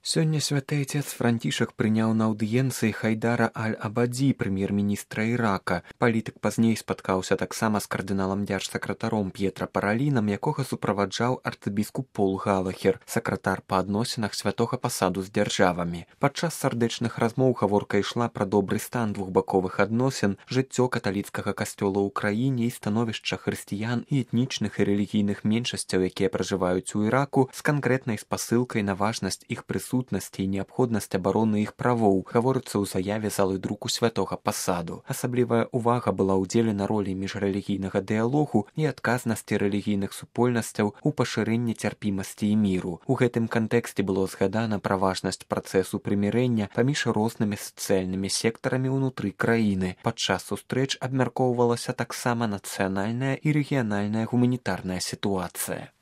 Сёння святы отец Францішак прыняў на аўдыенцыі Хайдара Аль-Абадзі, прэм'ер-міністра Ірака. Палітык пазней спаткаўся таксама з кардыналам дзяржсакратаром П'етра Паралінам, якога суправаджаў арцыбіскуп Пол Галахер, сакратар па адносінах святога пасаду з дзяржавамі. Падчас сардэчных размоў гаворка ішла пра добры стан двухбаковых адносін, жыццё каталіцкага касцёла ў краіне і становішча хрысціян і этнічных і рэлігійных меншасцяў, якія пражываюць у Іраку, з канкрэтнай спасылкай на важнасць іх прысутнасці і неабходнасць абароны іх правоў, гаворыцца ў заяве залы друку святога пасаду. Асаблівая ўвага была ўдзелена ролі міжрэлігійнага дыялогу і адказнасці рэлігійных супольнасцяў у пашырэнні цярпімасці і міру. У гэтым кантэксце было згадана пра важнасць працэсу прымірэння паміж рознымі сацыяльнымі сектарамі ўнутры краіны. Падчас сустрэч абмяркоўвалася таксама нацыянальная і рэгіянальная гуманітарная сітуацыя.